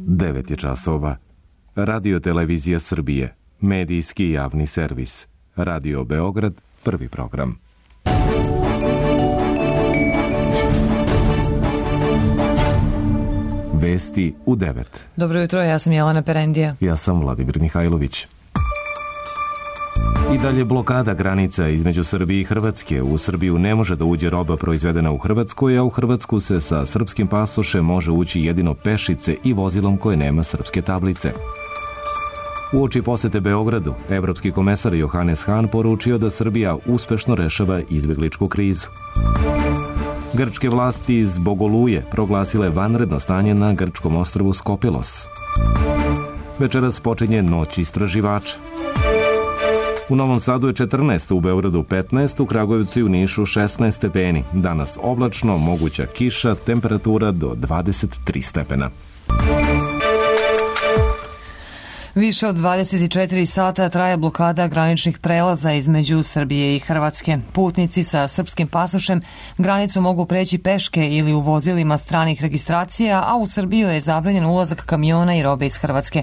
9 je časova. Radio Televizija Srbije, medijski javni servis. Radio Beograd, prvi program. Vesti u 9. Dobro jutro, ja sam Jelena Perendija. Ja sam Vladimir Mihajlović. I dalje blokada granica između Srbije i Hrvatske. U Srbiju ne može da uđe roba proizvedena u Hrvatskoj, a u Hrvatsku se sa srpskim pasošem može ući jedino pešice i vozilom koje nema srpske tablice. Uoči posete Beogradu, evropski komesar Johannes Hahn poručio da Srbija uspešno rešava izbegličku krizu. Grčke vlasti zbog oluje proglasile vanredno stanje na grčkom ostrvu Skopilos. Večeras počinje noć istraživača. U Novom Sadu je 14, u Beogradu 15, u Kragujevcu i u Nišu 16 stepeni. Danas oblačno, moguća kiša, temperatura do 23 stepena. Više od 24 sata traje blokada graničnih prelaza između Srbije i Hrvatske. Putnici sa srpskim pasošem granicu mogu preći peške ili u vozilima stranih registracija, a u Srbiju je zabranjen ulazak kamiona i robe iz Hrvatske.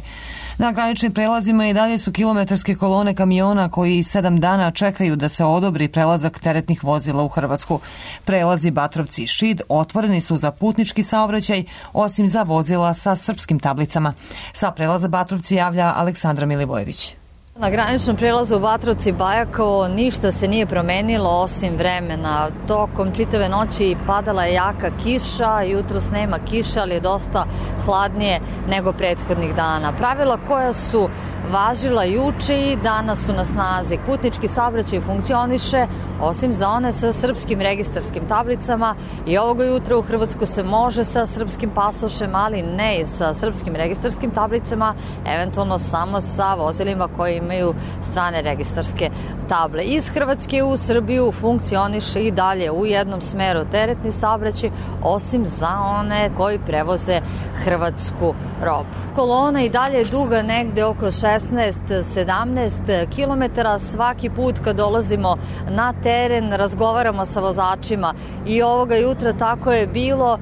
Na graničnim prelazima i dalje su kilometarske kolone kamiona koji 7 dana čekaju da se odobri prelazak teretnih vozila u Hrvatsku. Prelazi Batrovci i Šid otvoreni su za putnički saobraćaj, osim za vozila sa srpskim tablicama. Sa prelaza Batrovci javlja Aleksandra Milivojević. Na graničnom prelazu u Batrovci Bajakovo ništa se nije promenilo osim vremena. Tokom čitave noći padala je jaka kiša, jutros nema kiša, ali je dosta hladnije nego prethodnih dana. Pravila koja su važila juče i danas su na snazi. Putnički saobraćaj funkcioniše, osim za one sa srpskim registarskim tablicama, i ovoga jutra u Hrvatsku se može sa srpskim pasošem, ali ne i sa srpskim registarskim tablicama, eventualno samo sa vozilima koji imaju strane registarske table. Iz Hrvatske u Srbiju funkcioniše i dalje u jednom smeru teretni saobraćaj, osim za one koji prevoze hrvatsku robu. Kolona i dalje je duga negde oko 16-17 kilometara. Svaki put kad dolazimo na teren razgovaramo sa vozačima i ovoga jutra tako je bilo.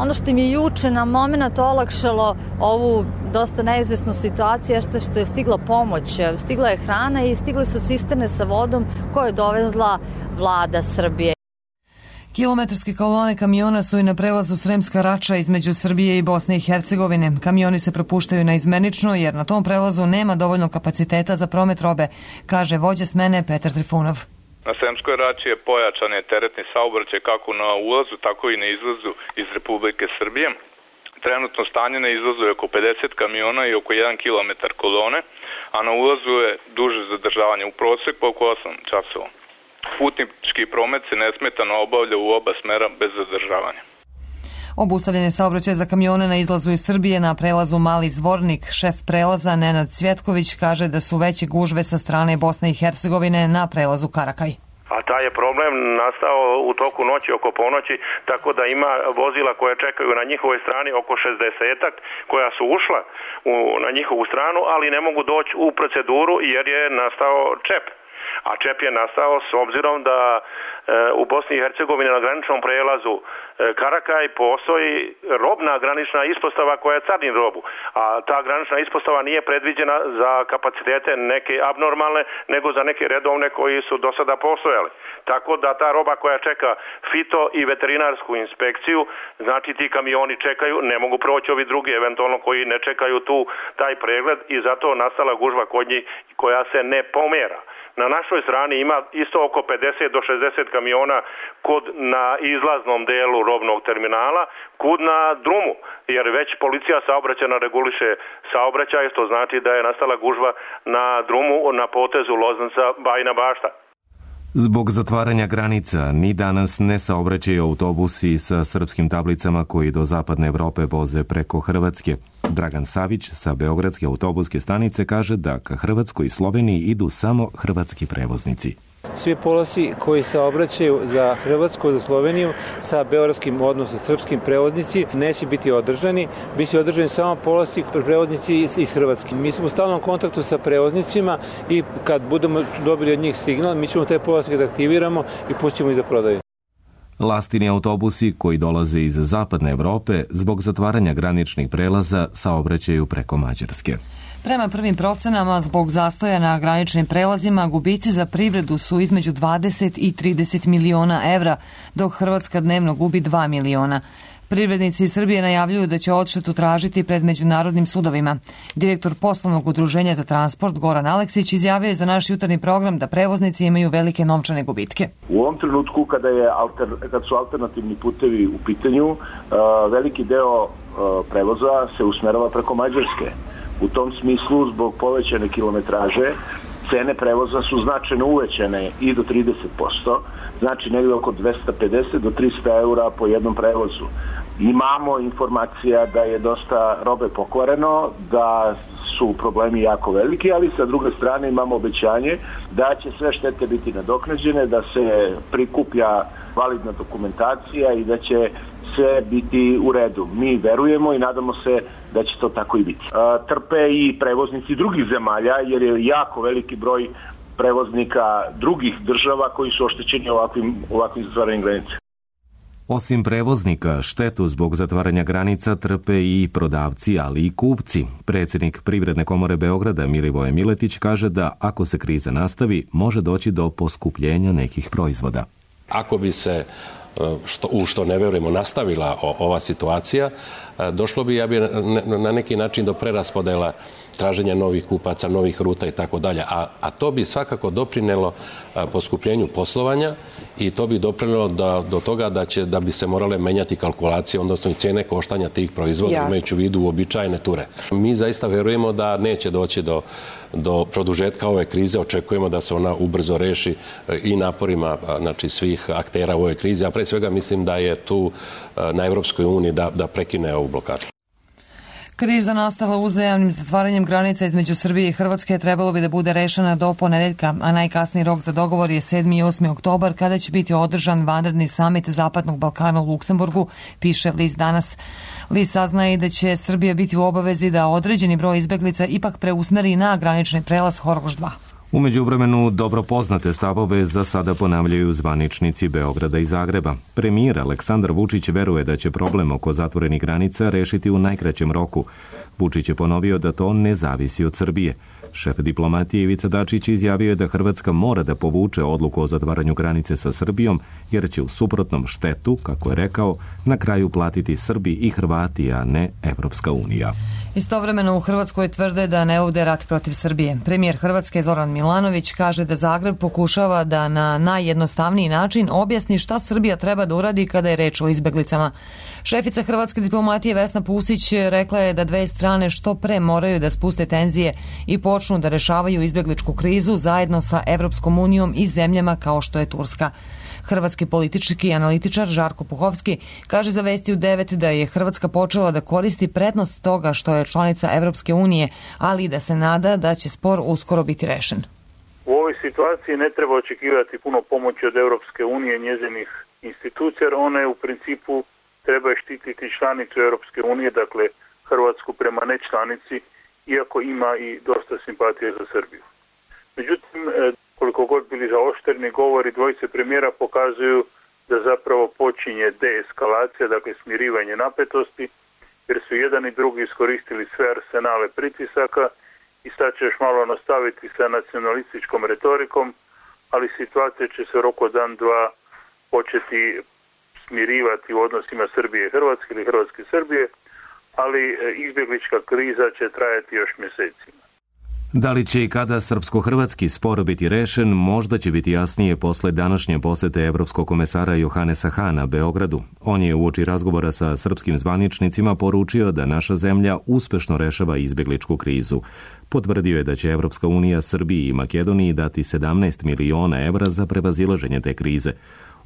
Ono što mi je juče na moment olakšalo ovu dosta neizvesnu situaciju jeste što je stigla pomoć. Stigla je hrana i stigle su cisterne sa vodom koje je dovezla vlada Srbije. Kilometarske kolone kamiona su i na prelazu Sremska Rača između Srbije i Bosne i Hercegovine. Kamioni se propuštaju naizmenično jer na tom prelazu nema dovoljno kapaciteta za promet robe, kaže vođa smene Petar Trifunov. Na Sremskoj Rači je pojačan teretni saobraćaj kako na ulazu, tako i na izlazu iz Republike Srbije. Trenutno stanje na izlazu je oko 50 kamiona i oko 1 km kolone, a na ulazu je duže zadržavanje, u proseku oko 8 časova. Putnički promet se nesmetano obavlja u oba smera bez zadržavanja. Obustavljen je saobraćaj za kamione na izlazu iz Srbije na prelazu Mali Zvornik. Šef prelaza Nenad Cvjetković kaže da su veće gužve sa strane Bosne i Hercegovine na prelazu Karakaj. A taj je problem nastao u toku noći oko ponoći, tako da ima vozila koja čekaju na njihovoj strani oko 60-ak koja su ušla na njihovu stranu, ali ne mogu doći u proceduru jer je nastao čep. A čep je nastao s obzirom da u Bosni i Hercegovini na graničnom prelazu Karakaj postoji robna granična ispostava koja carini robu, a ta granična ispostava nije predviđena za kapacitete neke abnormalne, nego za neke redovne koji su do sada postojali. Tako da ta roba koja čeka fito i veterinarsku inspekciju, znači ti kamioni čekaju, ne mogu proći ovi drugi eventualno koji ne čekaju tu taj pregled i zato nastala gužva kod njih koja se ne pomera. Na našoj strani ima isto oko 50 do 60 kamiona na izlaznom delu robnog terminala, kud na drumu, jer već policija saobraćajna reguliše saobraćaj, što znači da je nastala gužva na drumu na potezu Loznica-Bajina Bašta. Zbog zatvaranja granica, ni danas ne saobraćaju autobusi sa srpskim tablicama koji do zapadne Evrope voze preko Hrvatske. Dragan Savić sa Beogradske autobuske stanice kaže da ka Hrvatskoj i Sloveniji idu samo hrvatski prevoznici. Svi polosi koji se obraćaju za Hrvatsku, za Sloveniju sa beogradskim, odnosno srpskim prevoznici neće biti održani. Biće održani samo polosi prevoznici iz Hrvatske. Mi smo u stalnom kontaktu sa prevoznicima i kad budemo dobili od njih signal, mi ćemo te polosi da aktiviramo i pustimo ih za prodaju. Lastini autobusi koji dolaze iz zapadne Evrope zbog zatvaranja graničnih prelaza saobraćaju preko Mađarske. Prema prvim procenama, zbog zastoja na graničnim prelazima, gubici za privredu su između 20 i 30 miliona evra, dok Hrvatska dnevno gubi 2 miliona. Privrednici iz Srbije najavljuju da će odštetu tražiti pred međunarodnim sudovima. Direktor poslovnog udruženja za transport Goran Aleksić izjavio je za naš jutarnji program da prevoznici imaju velike novčane gubitke. U ovom trenutku kad su alternativni putevi u pitanju, veliki deo prevoza se usmerava preko Mađarske. U tom smislu, zbog povećane kilometraže, cene prevoza su značajno uvećane i do 30%, znači negdje oko 250 do 300 eura po jednom prevozu. Imamo informacija da je dosta robe pokvareno, da su problemi jako veliki, ali sa druge strane imamo obećanje da će sve štete biti nadoknađene, da se prikuplja validna dokumentacija i da će sve biti u redu. Mi verujemo i nadamo se da će to tako i biti. Trpe i prevoznici drugih zemalja, jer je jako veliki broj prevoznika drugih država koji su oštećeni ovakvim zatvaranjem granica. Osim prevoznika, štetu zbog zatvaranja granica trpe i prodavci, ali i kupci. Predsjednik Privredne komore Beograda Milivoje Miletić kaže da ako se kriza nastavi, može doći do poskupljenja nekih proizvoda. Ako bi se u što ne verujemo nastavila ova situacija, došlo bi na neki način do preraspodela traženja novih kupaca, novih ruta i tako dalje. A to bi svakako doprinelo poskupljenju poslovanja i to bi doprinelo do toga da bi se morale menjati kalkulacije, odnosno i cijene koštanja tih proizvoda, imajući u vidu uobičajene ture. Mi zaista verujemo da neće doći do produžetka ove krize. Očekujemo da se ona ubrzo reši i naporima svih aktera u ovoj krizi. A pre svega mislim da je tu na Evropskoj uniji da prekine ovu blokadu. Kriza nastala uzajamnim zatvaranjem granica između Srbije i Hrvatske trebalo bi da bude rešena do ponedeljka, a najkasniji rok za dogovor je 7. i 8. oktobar kada će biti održan vanredni samit Zapadnog Balkana u Luksemburgu, piše list Danas. List saznaje i da će Srbija biti u obavezi da određeni broj izbeglica ipak preusmeri na granični prelaz Horgoš 2. U međuvremenu dobro poznate stavove za sada ponavljaju zvaničnici Beograda i Zagreba. Premijer Aleksandar Vučić veruje da će problem oko zatvorenih granica rešiti u najkraćem roku. Vučić je ponovio da to ne zavisi od Srbije. Šef diplomatije Ivica Dačić izjavio je da Hrvatska mora da povuče odluku o zatvaranju granice sa Srbijom, jer će u suprotnom štetu, kako je rekao, na kraju platiti Srbi i Hrvati, a ne Evropska unija. Istovremeno u Hrvatskoj tvrde da ne vode rat protiv Srbije. Premijer Hrvatske Zoran Milanović kaže da Zagreb pokušava da na najjednostavniji način objasni šta Srbija treba da uradi kada je reč o izbeglicama. Šefica hrvatske diplomatije Vesna Pusić rekla je da dve strane što pre moraju da spuste tenzije i počnu da rešavaju izbegličku krizu zajedno sa Evropskom unijom i zemljama kao što je Turska. Hrvatski politički analitičar Žarko Puhovski kaže za Vesti u 9 da je Hrvatska počela da koristi prednost toga što je članica Evropske unije, ali i da se nada da će spor uskoro biti rešen. U ovoj situaciji ne treba očekivati puno pomoći od Evropske unije i njezinih institucija, jer one u principu treba štititi članicu Evropske unije, dakle Hrvatsku prema nečlanici, iako ima i dosta simpatije za Srbiju. Međutim, koliko god bili zaoštreni govori dvojice premijera pokazuju da zapravo počinje deeskalacija, dakle smirivanje napetosti, jer su jedan i drugi iskoristili sve arsenale pritisaka i sad će još malo nastaviti sa nacionalističkom retorikom, ali situacija će se u roku dan, dva početi smirivati u odnosima Srbije i Hrvatske ili Hrvatske i Srbije, ali izbjeglička kriza će trajati još mjesecima. Da li će i kada srpsko-hrvatski spor biti rešen, možda će biti jasnije posle današnje posete evropskog komesara Johanesa Hana Beogradu. On je uoči razgovora sa srpskim zvaničnicima poručio da naša zemlja uspešno rešava izbegličku krizu. Potvrdio je da će Evropska unija Srbiji i Makedoniji dati 17 miliona evra za prevazilaženje te krize.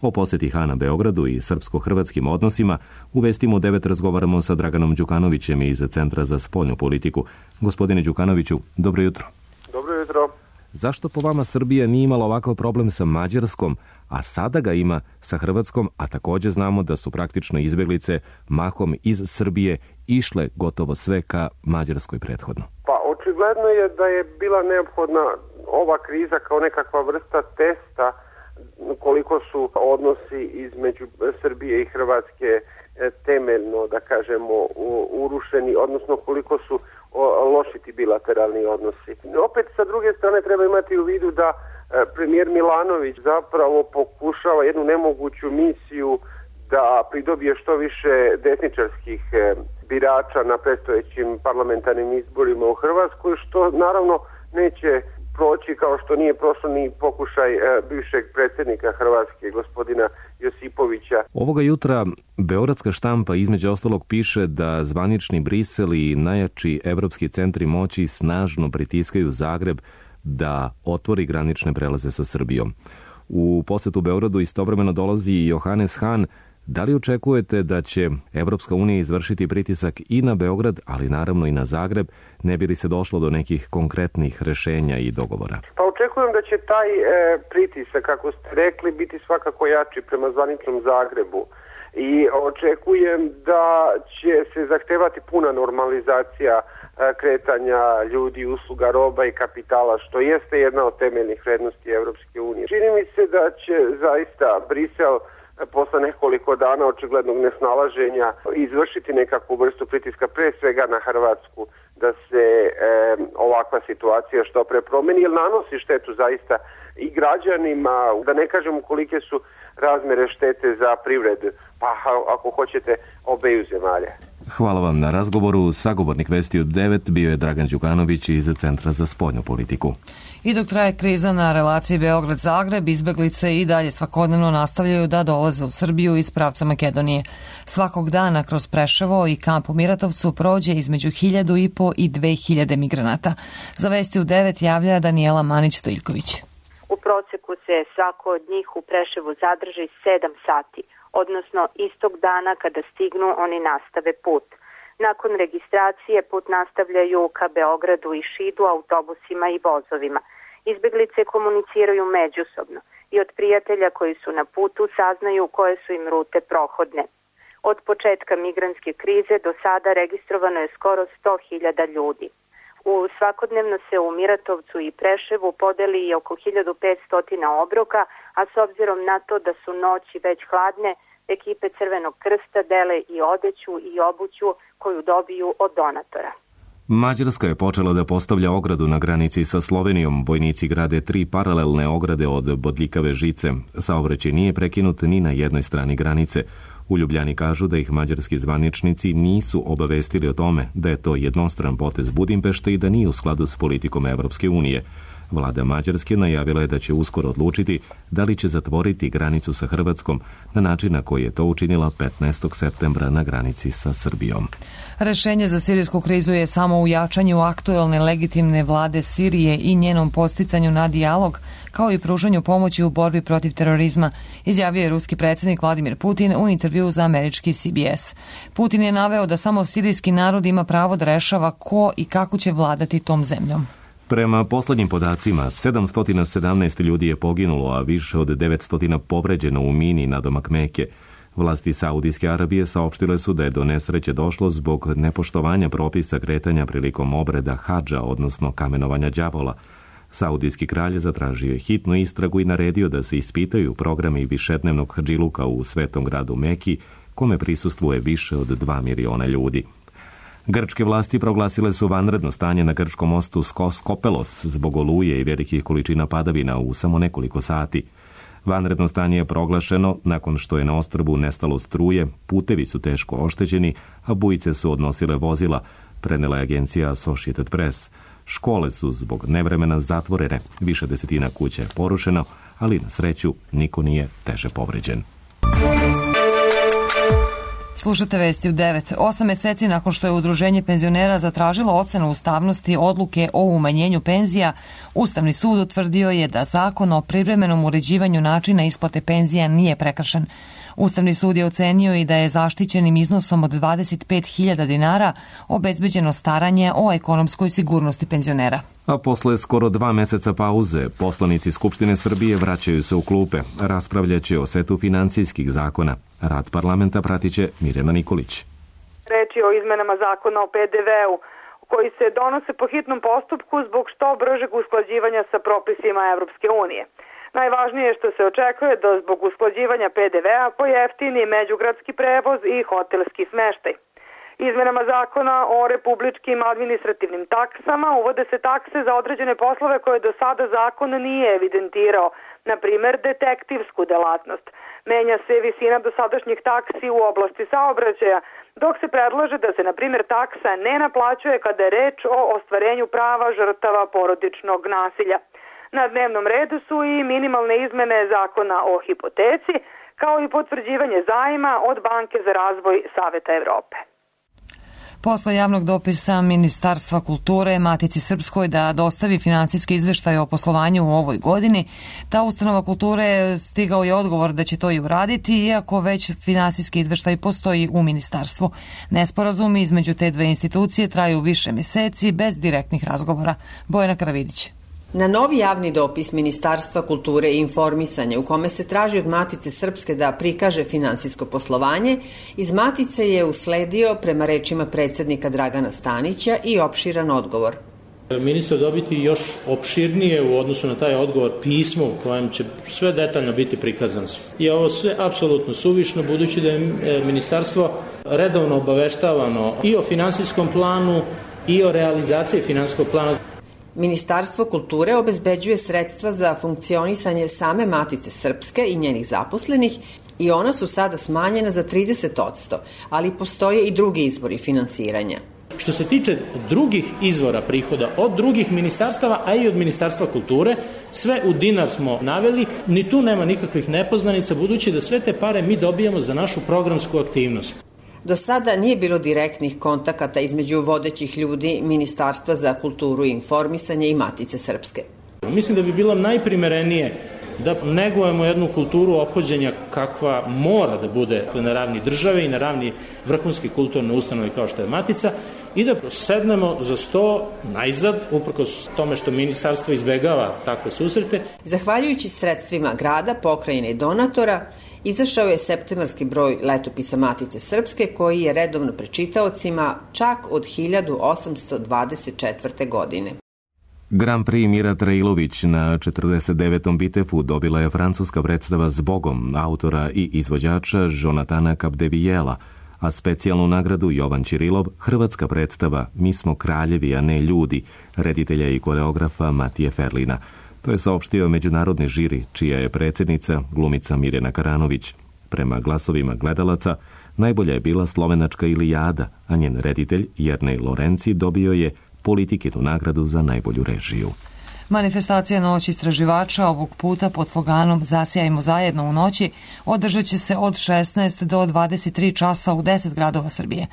O poseti Hana Beogradu i srpsko-hrvatskim odnosima u Vestima u 9 razgovaramo sa Draganom Đukanovićem iz Centra za spoljnu politiku. Gospodine Đukanoviću, dobro jutro. Dobro jutro. Zašto po vama Srbija nije imala ovakav problem sa Mađarskom, a sada ga ima sa Hrvatskom, a također znamo da su praktično izbeglice mahom iz Srbije išle gotovo sve ka Mađarskoj prethodno? Pa očigledno je da je bila neophodna ova kriza kao nekakva vrsta testa koliko su odnosi između Srbije i Hrvatske temeljno, da kažemo, urušeni, odnosno koliko su loši ti bilateralni odnosi. Opet, sa druge strane, treba imati u vidu da premijer Milanović zapravo pokušava jednu nemoguću misiju da pridobije što više desničarskih birača na predstojećim parlamentarnim izborima u Hrvatskoj, što naravno neće proći kao što nije prošlo ni pokušaj bivšeg predsjednika Hrvatske, gospodina Josipovića. Ovoga jutra beogradska štampa između ostalog piše da zvanični Brisel i najjači evropski centri moći snažno pritiskaju Zagreb da otvori granične prelaze sa Srbijom. U posetu Beogradu istovremeno dolazi i Johannes Hahn. Da li očekujete da će Evropska unija izvršiti pritisak i na Beograd, ali naravno i na Zagreb, ne bi li se došlo do nekih konkretnih rešenja i dogovora? Pa očekujem da će taj pritisak, kako ste rekli, biti svakako jači prema zvaničnom Zagrebu. I očekujem da će se zahtevati puna normalizacija kretanja ljudi, usluga, roba i kapitala, što jeste jedna od temeljnih vrednosti Evropske unije. Čini mi se da će zaista Brisel posle nekoliko dana očiglednog nesnalaženja izvršiti nekakvu vrstu pritiska, pre svega na Hrvatsku, da se ovakva situacija što pre promeni, jer nanosi štetu zaista i građanima, da ne kažem kolike su razmere štete za privredu, pa ako hoćete obeju zemalja. Hvala vam na razgovoru. Sagovornik Vesti od 9 bio je Dragan Đukanović iz Centra za spoljnu politiku. I dok traje kriza na relaciji Beograd-Zagreb, izbeglice i dalje svakodnevno nastavljaju da dolaze u Srbiju iz pravca Makedonije. Svakog dana kroz Preševo i kamp u Miratovcu prođe između 1.500 i 2.000 migranata. Za Vesti u 9 javlja Danijela Manić-Stojljković. U proseku se svako od njih u Preševu zadrži 7 sati, odnosno istog dana kada stignu oni nastave put. Nakon registracije put nastavljaju ka Beogradu i Šidu autobusima i vozovima. Izbeglice komuniciraju međusobno i od prijatelja koji su na putu saznaju koje su im rute prohodne. Od početka migrantske krize do sada registrovano je skoro 100.000 ljudi. Svakodnevno se u Miratovcu i Preševu podeli i oko 1.500 obroka, a s obzirom na to da su noći već hladne, ekipe Crvenog krsta dele i odeću i obuću koju dobiju od donatora. Mađarska je počela da postavlja ogradu na granici sa Slovenijom. Vojnici grade 3 paralelne ograde od bodljikave žice. Saobraćaj nije prekinut ni na jednoj strani granice. U Ljubljani kažu da ih mađarski zvaničnici nisu obavestili o tome da je to jednostran potez Budimpešte i da nije u skladu s politikom Evropske unije. Vlada Mađarske najavila je da će uskoro odlučiti da li će zatvoriti granicu sa Hrvatskom na način na koji je to učinila 15. septembra na granici sa Srbijom. Rešenje za sirijsku krizu je samo u jačanju aktuelne legitimne vlade Sirije i njenom podsticanju na dijalog, kao i pružanju pomoći u borbi protiv terorizma, izjavio je ruski predsjednik Vladimir Putin u intervjuu za američki CBS. Putin je naveo da samo sirijski narod ima pravo da rešava ko i kako će vladati tom zemljom. Prema poslednjim podacima, 717 ljudi je poginulo, a više od 900 povređeno u mini nadomak Meke. Vlasti Saudijske Arabije saopštile su da je do nesreće došlo zbog nepoštovanja propisa kretanja prilikom obreda hadža, odnosno kamenovanja đavola. Saudijski kralj zatražio je hitnu istragu i naredio da se ispitaju programi višednevnog hadžiluka u svetom gradu Meki, kome prisustvuje više od 2 miliona ljudi. Grčke vlasti proglasile su vanredno stanje na grčkom mostu Skopelos zbog oluje i velikih količina padavina u samo nekoliko sati. Vanredno stanje je proglašeno nakon što je na ostrvu nestalo struje, putevi su teško oštećeni, a bujice su odnosile vozila, prenela je agencija Associated Press. Škole su zbog nevremena zatvorene, više desetina kuća je porušeno, ali na sreću niko nije teže povređen. Slušate Vesti u 9. 8 meseci nakon što je Udruženje penzionera zatražilo ocenu ustavnosti odluke o umanjenju penzija, Ustavni sud utvrdio je da zakon o privremenom uređivanju načina isplate penzija nije prekršen. Ustavni sud je ocenio i da je zaštićenim iznosom od 25.000 dinara obezbeđeno staranje o ekonomskoj sigurnosti penzionera. A posle skoro 2 meseca pauze, poslanici Skupštine Srbije vraćaju se u klupe. Raspravljaće o setu finansijskih zakona. Rad parlamenta pratiće Mirjana Nikolić. Reč je o izmenama zakona o PDV-u, koji se donose po hitnom postupku zbog što bržeg usklađivanja sa propisima Evropske unije. Najvažnije je što se očekuje da zbog usklađivanja PDV-a pojeftini međugradski prevoz i hotelski smeštaj. Izmenama zakona o republičkim administrativnim taksama uvode se takse za određene poslove koje do sada zakon nije evidentirao, na primer detektivsku delatnost. Menja se visina dosadašnjih taksi u oblasti saobraćaja, dok se predlaže da se, na primjer, taksa ne naplaćuje kada je reč o ostvarenju prava žrtava porodičnog nasilja. Na dnevnom redu su i minimalne izmene zakona o hipoteci, kao i potvrđivanje zajma od Banke za razvoj Saveta Evrope. Posle javnog dopisa Ministarstva kulture Matici Srpskoj da dostavi finansijski izveštaj o poslovanju u ovoj godini, ta ustanova kulture stigao je odgovor da će to i uraditi, iako već finansijski izveštaj postoji u ministarstvu. Nesporazumi između te dve institucije traju više meseci bez direktnih razgovora. Bojana Karavidić. Na novi javni dopis Ministarstva kulture i informisanja u kome se traži od Matice Srpske da prikaže finansijsko poslovanje, iz Matice je usledio, prema rečima predsednika Dragana Stanića, i opširan odgovor. Ministar dobiti još opširnije u odnosu na taj odgovor pismo u kojem će sve detaljno biti prikazano. I ovo sve apsolutno suvišno, budući da je ministarstvo redovno obaveštavano i o finansijskom planu i o realizaciji finansijskog plana. Ministarstvo kulture obezbeđuje sredstva za funkcionisanje same Matice Srpske i njenih zaposlenih i ona su sada smanjena za 30%, ali postoje i drugi izvori finansiranja. Što se tiče drugih izvora prihoda od drugih ministarstava, a i od Ministarstva kulture, sve u dinar smo naveli, ni tu nema nikakvih nepoznanica, budući da sve te pare mi dobijamo za našu programsku aktivnost. Do sada nije bilo direktnih kontakata između vodećih ljudi Ministarstva za kulturu i informisanje i Matice Srpske. Mislim da bi bilo najprimerenije da negujemo jednu kulturu ophođenja kakva mora da bude na ravni države i na ravni vrhunske kulturne ustanove kao što je Matica i da sednemo za sto najzad, uprkos tome što ministarstvo izbegava takve susrete. Zahvaljujući sredstvima grada, pokrajine i donatora, izašao je septembarski broj letopisa Matice Srpske koji je redovno pred čitaocima čak od 1824. godine. Grand Prix Mira Trailović na 49. Bitefu dobila je francuska predstava Zbogom autora i izvođača Jonatana Capdevijela, a specijalnu nagradu Jovan Ćirilov hrvatska predstava Mi smo kraljevi, a ne ljudi, reditelja i koreografa Matije Ferlina. To je saopštio međunarodni žiri, čija je predsjednica glumica Mirjana Karanović. Prema glasovima gledalaca, najbolja je bila slovenačka Ilijada, a njen reditelj Jernej Lorenci dobio je Politikinu nagradu za najbolju režiju. Manifestacija Noć istraživača ovog puta pod sloganom Zasijajmo zajedno u noći održat će se od 16 do 23 časa u 10 gradova Srbije.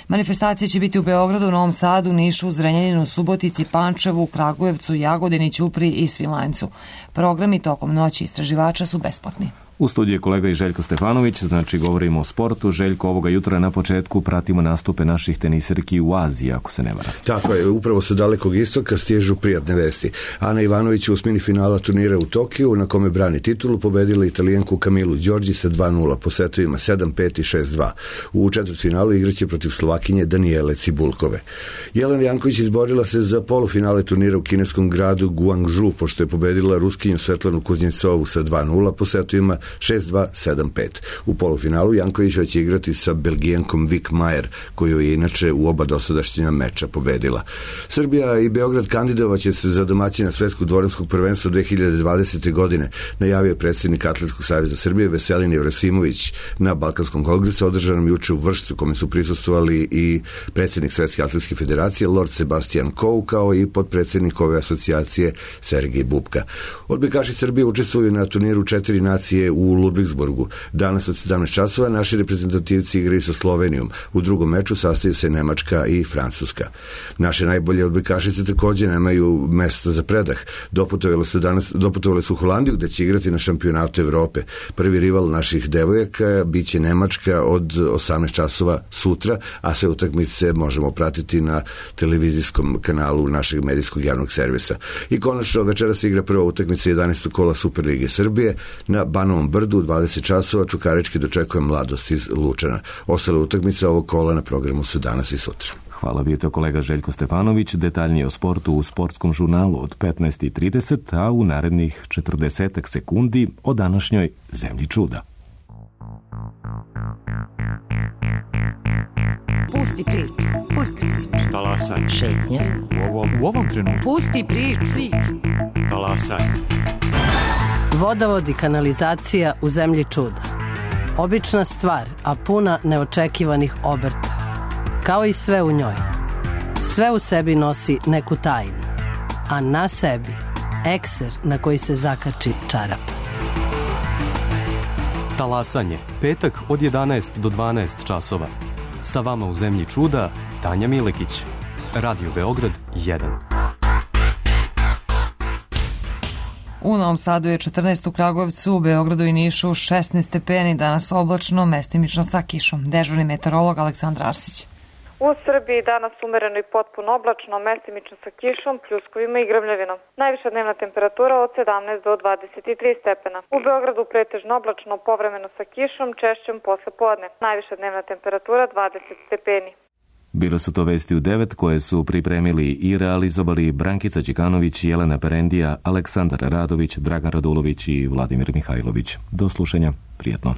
Manifestacija će biti u Beogradu, Novom Sadu, Nišu, Zrenjaninu, Subotici, Pančevu, Kragujevcu, Jagodini, Ćupriji i Svilajncu. Programi tokom Noći istraživača su besplatni. U studiju je kolega i Željko Stefanović, znači govorimo o sportu. Željko, ovoga jutra na početku pratimo nastupe naših teniserki u Aziji, ako se ne varam. Tako je, upravo sa dalekog istoka stižu prijatne vesti. Ana Ivanović u osmini finala turnira u Tokiju, na kome brani titulu, pobedila Italijanku Kamilu Đorđi sa 2-0 po setovima 7-5 i 6-2. U četvrtfinalu igraće protiv Slovakinje Danijele Cibulkove. Jelena Janković izborila se za polufinale turnira u kineskom gradu Guangzhou, pošto je pobedila Ruskinju Svetlanu Kuznjecovu sa 2-0 po setovima 6-2, 7-5. U polufinalu Jankovića će igrati sa Belgijankom Vik Majer, koju je inače u oba dosadašnja meča pobedila. Srbija i Beograd kandidovaće se za domaćina Svetskog dvoranskog prvenstva 2020. godine, najavio predsjednik Atletskog saveza Srbije Veselin Jevrosimović na Balkanskom kongresu održanom juče u Vršcu, kome su prisustvovali i predsjednik Svetske atletske federacije Lord Sebastian Coe, kao i potpredsjednik ove asocijacije Sergej Bubka. Odbojkaši Srbije učestvuju na turniru 4 nacije u Ludvigsburgu. Danas od 17 časova naši reprezentativci igraju sa Slovenijom. U drugom meču sastaju se Nemačka i Francuska. Naše najbolje odbojkašice također nemaju mesta za predah. Doputovale su u Holandiju, gde će igrati na šampionatu Evrope. Prvi rival naših devojaka biće Nemačka od 18 časova sutra, a sve utakmice možemo pratiti na televizijskom kanalu našeg medijskog javnog servisa. I konačno večeras se igra prva utakmica 11. kola Superlige Srbije. Na Banovom Brdu u 20 časova Čukarički dočekuje Mladost iz Lučana. Ostale utakmice ovog kola na programu su danas i sutra. Hvala, bio to kolega Željko Stefanović. Detaljnije o sportu u sportskom žurnalu od 15:30, a u narednih 40 sekundi o današnjoj Zemlji čuda. Pusti priču. Pusti priču. Talasaj. Šetnja. U ovom trenutku. Pusti priču. Talasaj. Vodovod i kanalizacija u Zemlji čuda. Obična stvar, a puna neočekivanih obrta. Kao i sve u njoj. Sve u sebi nosi neku tajnu, a na sebi ekser na koji se zakači čarap. Talasanje, petak od 11 do 12 časova. Sa vama u Zemlji čuda, Tanja Milekić. Radio Beograd 1. U Novom Sadu je 14, u Kragujevcu, u Beogradu i Nišu 16 stepeni, danas oblačno, mestimično sa kišom. Dežurni meteorolog Aleksandar Arsić. U Srbiji danas umereno i potpuno oblačno, mestimično sa kišom, pljuskovima i grmljavinom. Najviša dnevna temperatura od 17 do 23 stepena. U Beogradu pretežno oblačno, povremeno sa kišom, češćem posle podne. Najviša dnevna temperatura 20 stepeni. Bile su to vesti u 9 koje su pripremili i realizovali Brankica Đikanović, Jelena Perendija, Aleksandar Radović, Dragan Radulović i Vladimir Mihajlović. Do slušanja, prijetno.